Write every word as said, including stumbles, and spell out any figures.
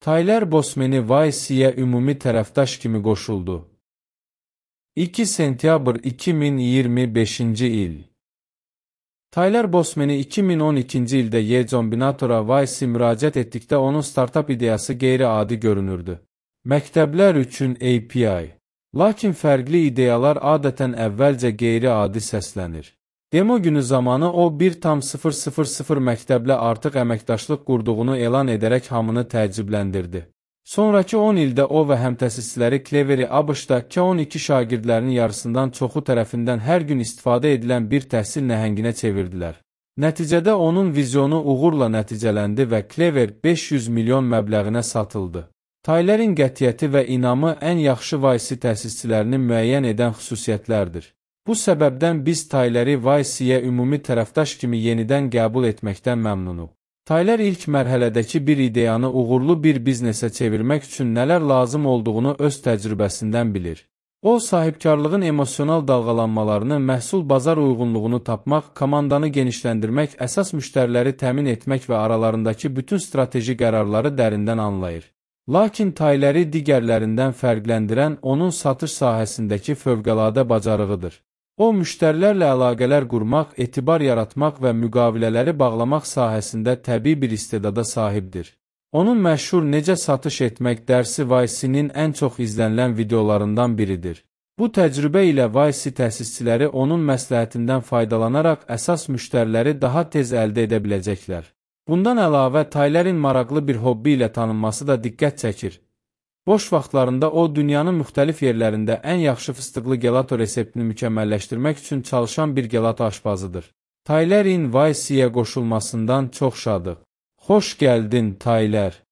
Tyler Bosmani Vice-yə ümumi tərəfdaş kimi qoşuldu. iki sentyabr iki min iyirmi beşinci il. Tyler Bosmani iki min on ikinci ildə Y Combinator-a Vice müraciət etdikdə onun startap ideyası qeyri-adi görünürdü. Məktəblər üçün A P I. Lakin fərqli ideyalar adətən əvvəlcə qeyri-adi səslənir. Demo günü zamanı o bir tam sıfır sıfır sıfır məktəblə artıq əməkdaşlıq qurduğunu elan edərək hamını təəccübləndirdi. Sonrakı on ildə o və həmtəsisləri Clevery ABŞ-da K on iki şagirdlərinin yarısından çoxu tərəfindən hər gün istifadə edilən bir təhsil nəhənginə çevirdilər. Nəticədə onun vizyonu uğurla nəticələndi və Clever beş yüz milyon məbləğinə satıldı. Tylerin qətiyyəti və inamı ən yaxşı Vice təsisçilərini müəyyən edən xüsusiyyətlərdir. Bu səbəbdən biz Tyleri Vice-yə ümumi tərəfdaş kimi yenidən qəbul etməkdən məmnunuq. Tyler ilk mərhələdəki bir ideyanı uğurlu bir biznesə çevirmək üçün nələr lazım olduğunu öz təcrübəsindən bilir. O, sahibkarlığın emosional dalğalanmalarını, məhsul bazar uyğunluğunu tapmaq, komandanı genişləndirmək, əsas müştəriləri təmin etmək və aralarındakı bütün strateji qərarları dərindən anlayır. Lakin Tyleri digərlərindən fərqləndirən onun satış sahəsindəki fövqəladə bacarığıdır. O, müştərilərlə əlaqələr qurmaq, etibar yaratmaq və müqavilələri bağlamaq sahəsində təbii bir istedada sahibdir. Onun məşhur Necə Satış Etmək dərsi Vice-nin ən çox izlənilən videolarından biridir. Bu təcrübə ilə Vice təsisçiləri onun məsləhətindən faydalanaraq əsas müştəriləri daha tez əldə edə biləcəklər. Bundan əlavə, Tylerin maraqlı bir hobbi ilə tanınması da diqqət çəkir. Boş vaxtlarında o, dünyanın müxtəlif yerlərində ən yaxşı fıstıqlı gelato reseptini mükəmməlləşdirmək üçün çalışan bir gelato aşpazıdır. Tylerin Vice-yə qoşulmasından çox şadıq. Xoş gəldin, Tyler.